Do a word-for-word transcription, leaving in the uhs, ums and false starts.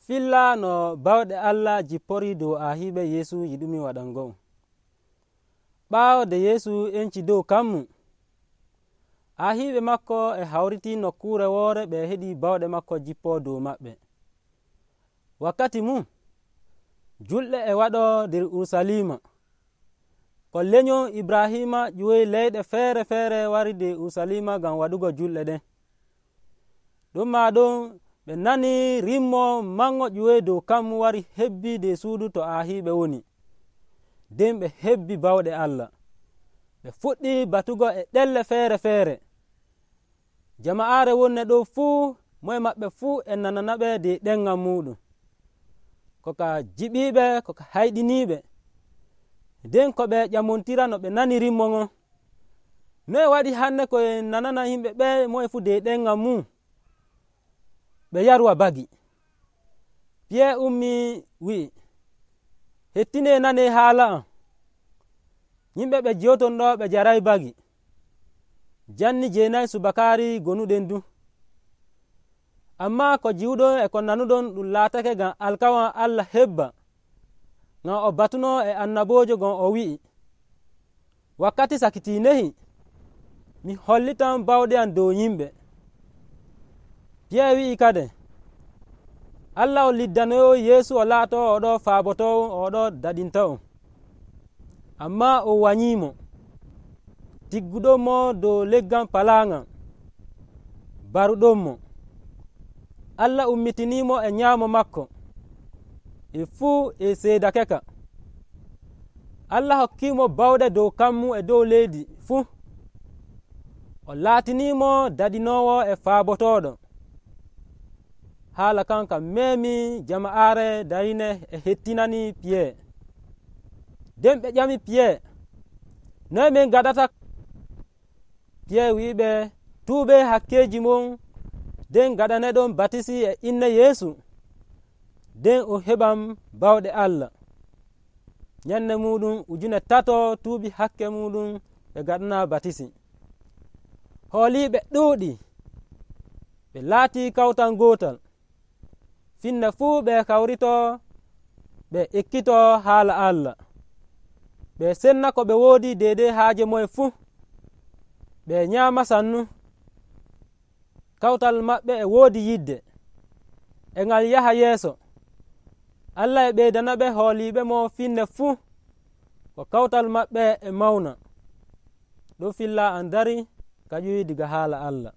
filla no bawɗe Allah jippori dow ahiiɓe Yeesu yiɗumi waɗango'o. ɓaawo nde Yeesu enci dow kammu, ahiiɓe makko e hawriti nokkuure woore ɓe heɗi bawɗe makko jippoo dow maɓɓe. wakkati mum julɗe e waɗoo nder Urusalima. ko lenyol Ibrahima ƴiwoyi leyɗe feere feere wari nder Urusalima ngam waɗugo julɗe ɗen. ɗum maa ɗum ɓe nani rimmo mango ƴiwoyi dow kammu wari hebbi nder suudu to ahiiɓe woni. nden ɓe hebbi bawɗe Allah. ɓe fuɗɗi batugo e ɗelle feere feere. jama'aare wonne ɗo fuu moye maɓɓe fuu e nananaɓe nder ɗemngal muɗum, ko ka jiɓiiɓe ko ka hayɗiniiɓe. nden ko ɓe ƴamontira no ɓe nani rimmo ngon. noye waɗi hannde koye nanana yimɓe ɓe moye fuu nder ɗemngal mum ɓe yarwa bagi. Piye ummi wi'i, hettine nane haala am. yimɓe ɓe jewton ɗo ɓe jaray bagi. janni jeenayi subakaari gonuɗen du. amma ko jiwɗon e ko nanuɗon ɗum laatake ngam alkawal Allah hebba, ngam o batuno e annaboojo gon o wi'i, wakkati sakitinehi mi hollitan bawɗe am dow yimɓe. Piye wi'i kade, Allah o liddanoyo Yeesu o laato oɗo faabotowo oɗo daɗintawo. amma o wanyimo, tigguɗonmo dow leggal palaangal, baruɗonmo. Allah ummitinimo e nyaamo makko e fuu e seedake ka. Allah hokkimo bawɗe dow kammu e dow leydi fuu. o laatinimo daɗinowo e faabotoɗo. haala kan ka meemi jama'aare darine e hettinani Piye. nden ɓe ƴami Piye, noye min gaɗata? Piye wi'iɓe, tuube hakkeji mon, nden gaɗaneɗon batisi e inne Yeesu, nden o heɓam bawɗe Allah. ñande muɗum ujune tato tuubi hakke muɗum ɓe gaɗana batisi. hooliɓe ɗuuɗi, ɓe laati kawtal gootal. finne fuu ɓe kawrito ɓe ekkito haala Allah. ɓe senna ko ɓe woodi deydey haaje moye fuu. ɓe nyaama sannu. kawtal maɓɓe e woodi yidde e ngal yaha yeeso. Allah e ɓeydana ɓe hooliɓe mo finne fuu, ko kawtal maɓɓe e mawna. ɗum filla an dari ka ƴuwi diga haala Allah.